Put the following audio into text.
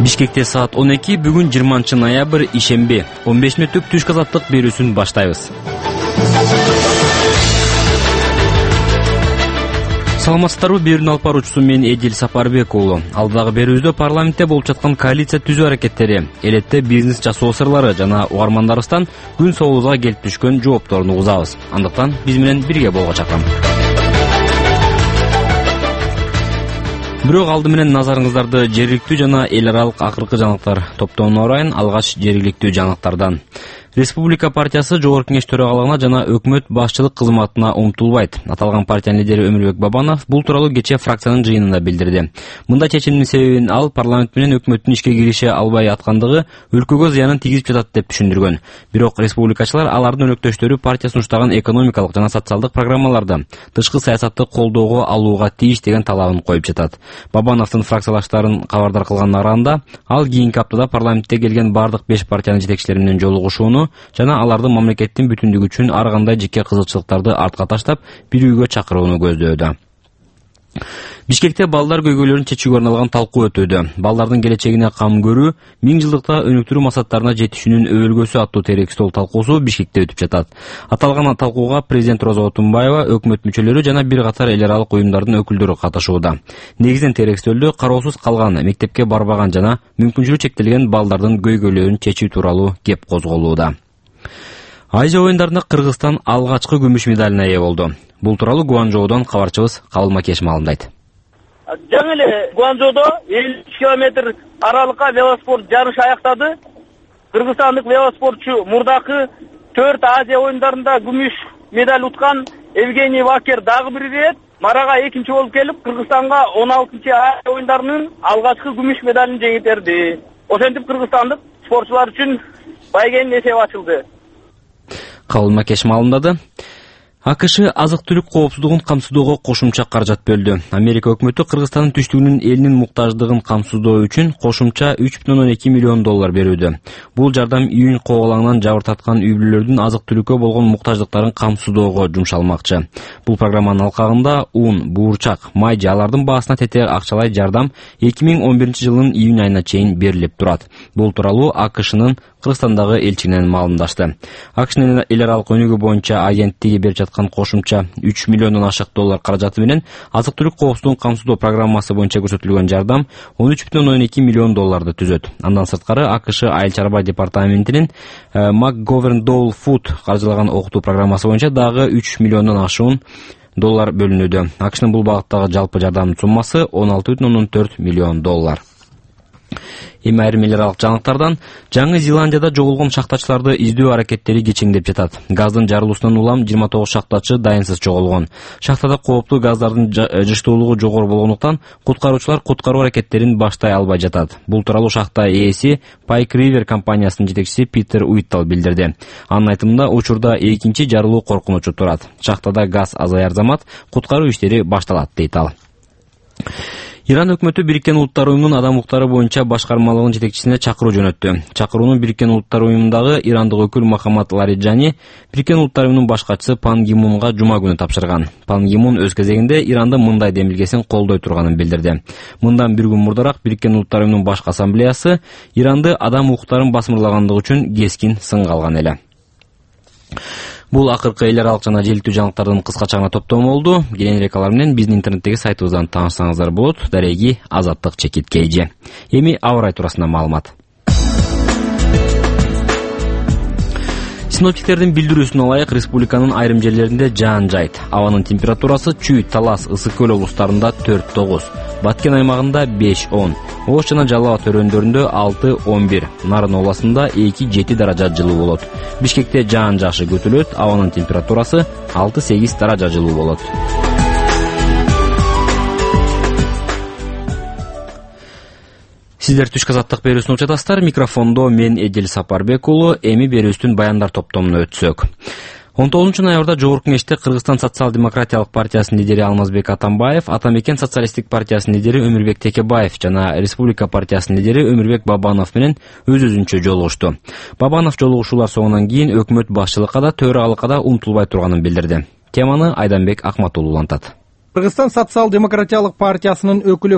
Бишкекте саат 12 бүгүн 20-ноябрь ишемби 15 мүнөттүк түшкү азаттык берүүсүн баштайбыз. Саламатсыздарбы, берүүнү алып баруучусу мен Эдил Сапарбек уулу. Алдагы берүүбүздө парламентте болуп жаткан коалиция түзүү аракеттери, элетте бизнес жасоо сырлары жана угармандарыбыздан күн соолугуга келип түшкөн жоопторун угузабыз. Андыктан биз менен бирге болууга чакырам. Бирок алды менен назарыңыздарды жергиликтүү жана эл аралык акыркы жаңылыктар топтомуна урайын. Алгач жергиликтүү жаңылыктардан. Республика партиясы жогорку кеңеш төрагалыгына жана өкмөт башчылык кызматына умтулбайт. Аталган партиянын лидери Өмүрбек Бабанов бул тууралуу кечээ фракциянын жыйынында билдирди. Мындай чечимдин себебин ал парламент менен өкмөттүн ишке кирише албай аткандыгы өлкөгө зыянын тийгизип жатат деп түшүндүргөн. Бирок республикачылар алардын өнөктөштөрү партия сунуштаган экономикалык жана социалдык программаларды тышкы саясатты колдоого алууга тийиш деген талабын коюп жатат. Бабановдун фракциялаштарын кабардар кылганына караганда, ал кийинки аптада парламентте келген бардык 5 партиянын жетекчилери менен жолугушууну жана алардын мамлекеттин бүтүндүгү үчүн ар кандай жеке кызыкчылыктарды артка таштап бирүүгө чакырууну көздөөдө. Бишкекте балдар көйгөйлөрүн чечүүгө арналган талкуу өтүүдө. Балдардын келечегине кам көрүү, 1000 жылдыкта өнүктүрүү максаттарына жетишүүнүн өбөлгөсү аттуу терек стол талкуусу Бишкекте өтүп жатат. Аталган талкууга президент Роза Отунбаева, өкмөт мүчөлөрү жана бир катар эл аралык уюмдардын өкүлдөрү катышууда. Негизинен терек стөлдө кароосуз калган, мектепке барбаган жана мүмкүнчүлүгү чектелген балдардын көйгөйлөрүн чечүү тууралуу кеп козголууда. Азия оюндарында Кыргызстан алгачкы күмүш медалына ээ болду. Бул тууралуу Гуанчжоудон кабарчыбыз Кабыл Макеш маалымдайт. Жаңы эле Гуанчжоудо 53 километр аралыкка велоспорт жарышы аяктады. Кыргызстандык велоспортчу мурдакы 4 Азия оюндарында күмүш медаль уткан Евгений Вакер дагы бир ирет марага экинчи болуп келип, Кыргызстанга 16-Азия оюндарынын алгачкы күмүш медалын жеңилтерди. Ошентип кыргызстандык спортчулар үчүн байгенин эсеби ачылды. Кабыл Макеш маалымдады. АКШ азык-түлүк коопсуздугун камсыздоого кошумча каражат бөлдү. Америка өкмөтү Кыргызстандын түштүгүнүн элинин муктаждыгын камсыздоо үчүн кошумча $3,2 миллион берүүдө. Бул жардам июнь кобалаңынан жабыр тарткан үй-бүлөлөрдүн азык-түлүккө болгон муктаждыктарын камсыздоого жумшалмакчы. Бул программанын алкагында ун, буурчак, май же алардын баасына тете акчалай жардам 2011-жылдын июнь айына чейин берилип турат. Бул тууралуу АКШнын Кыргызстандагы элчигинен маалымдашты. АКШнын эл аралык өнүгүү боюнча агенттиги берип жаткан кошумча $3 миллиондон ашык каражаты менен азык-түлүк коопсуздугун камсыздоо программасы боюнча көрсөтүлгөн жардам $13,2 миллион түзөт. Андан сырткары АКШ айыл чарба департаментинин McGovern Dole Food каржылаган окутуу программасы боюнча дагы $3 миллиондон ашуун бөлүнүүдө. АКШнын бул багыттагы жалпы жардамдын суммасы $16,4 миллион. Эми айрым эл аралык жаңылыктардан. Жаңы Зеландияда жоголгон шахтачыларды издөө аракеттери кечеңдеп жатат. Газдын жарылуусунан улам 29 шахтачы дайынсыз жоголгон. Шахтада кооптуу газдардын жыштуулугу жогору болгондуктан куткаруучулар куткаруу аракеттерин баштай албай жатат. Бул тууралуу шахта ээси Pike River компаниясынын жетекчиси Питер Уиттал билдирди. Анын айтымында учурда экинчи жарылуу коркунучу турат. Шахтада газ азаяр замат куткаруу иштери башталат дейт ал. Иран өкмөтү Бириккен Улуттар уюмунун адам укуктары боюнча башкармалыгынын жетекчисине чакыруу жөнөттү. Чакырууну Бириккен Улуттар уюмундагы ирандык өкүл Мохаммад Лариджани Бириккен Улуттар уюмунун башкачысы Пан Ги Мунга жума күнү тапшырган. Пан Ги Мун өз кезегинде Ирандын мындай демилгесин колдой турганын билдирди. Мындан бир күн мурдараак Бириккен Улуттар уюмунун башкы ассамблеясы Иранды адам укуктарын басмырлагандыгы үчүн кескин сынга алган эле. Бул акыркы эл аралык жана желиликтүү жаңылыктардын кыскача гана топтому болду. Кийинирээк алар менен биздин интернеттеги сайтыбыздан таанышсаңыздар болот. Дареги Азаттык Чекит KG. Эми аба ырайы туурасында маалымат. Синоптиктердин билдирүүсүнө ылайык, республиканын айрым жерлеринде жаан жайт. Абанын температурасы Чүй, Талас, Ысык көл облустарында 4-9, Баткен аймагында 5-10, Ош жана Жалал Ат өрөөндөрүндө 6-11, Нарын областында 2-7 даража жылуу болот. Бишкекте жаан жакшы күтүлөт, абанын температурасы 6-8 даража жылуу болот. Сиздер түшкү азаттык берүүсүн угуп жатасыздар. Микрофондо мен Эдил Сапарбек уулу. Эми берүүбүздүн баяндар топтомуна өтсөк. 19-ноябрда жогорку кеңеште Кыргызстан социал-демократиялык партиясынын лидери Алмазбек Атамбаев, Атамекен социалисттик партиясынын лидери Өмүрбек Текебаев жана Республика партиясынын лидери Өмүрбек Бабанов менен өз-өзүнчө жолугушту. Бабанов жолугушуулар соңунан кийин өкмөт башчылыкка да, төрагалыкка да умтулбай турганын билдирди. Теманы Айданбек Акматуллу улантат. Кыргызстан социал-демократиялык партиясынын өкүлү